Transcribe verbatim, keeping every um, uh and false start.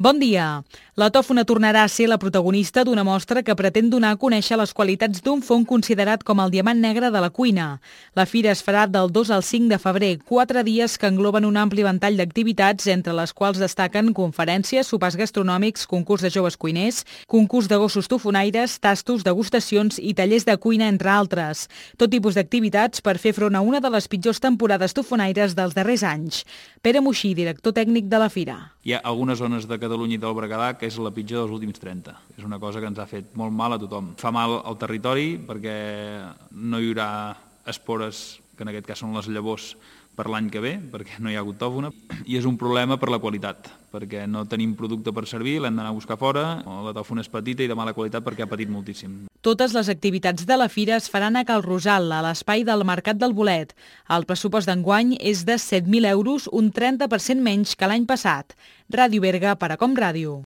Bon dia. La tòfona tornarà a ser la protagonista d'una mostra que pretén donar a conèixer les qualitats d'un fong considerat com el diamant negre de la cuina. La fira es farà del dos al cinc de febrer, quatre dies que engloben un ampli ventall d'activitats, entre les quals destaquen conferències, sopars gastronòmics, concurs de joves cuiners, concurs de gossos tofonaires, tastos, degustacions i tallers de cuina, entre altres. Tot tipus d'activitats per fer front a una de les pitjors temporades tofonaires dels darrers anys. Pere Moixí, director tècnic de la fira. Hi ha algunes zones de Catalunya i del Berguedà que és la pitjor dels últims trenta. És una cosa que ens ha fet molt mal a tothom. Fa mal al territori perquè no hi haurà espores, que en aquest cas són les llavors, per l'any que ve, perquè no hi ha hagut tòfona, i és un problema per la qualitat, perquè no tenim producte per servir, l'hem d'anar a buscar fora, la tòfona és petita i de mala qualitat perquè ha patit moltíssim. Totes les activitats de la fira es faran a Cal Rosal, a l'espai del Mercat del Bolet. El pressupost d'enguany és de set mil euros, un trenta per cent menys que l'any passat. Ràdio Berga, per a Com Ràdio.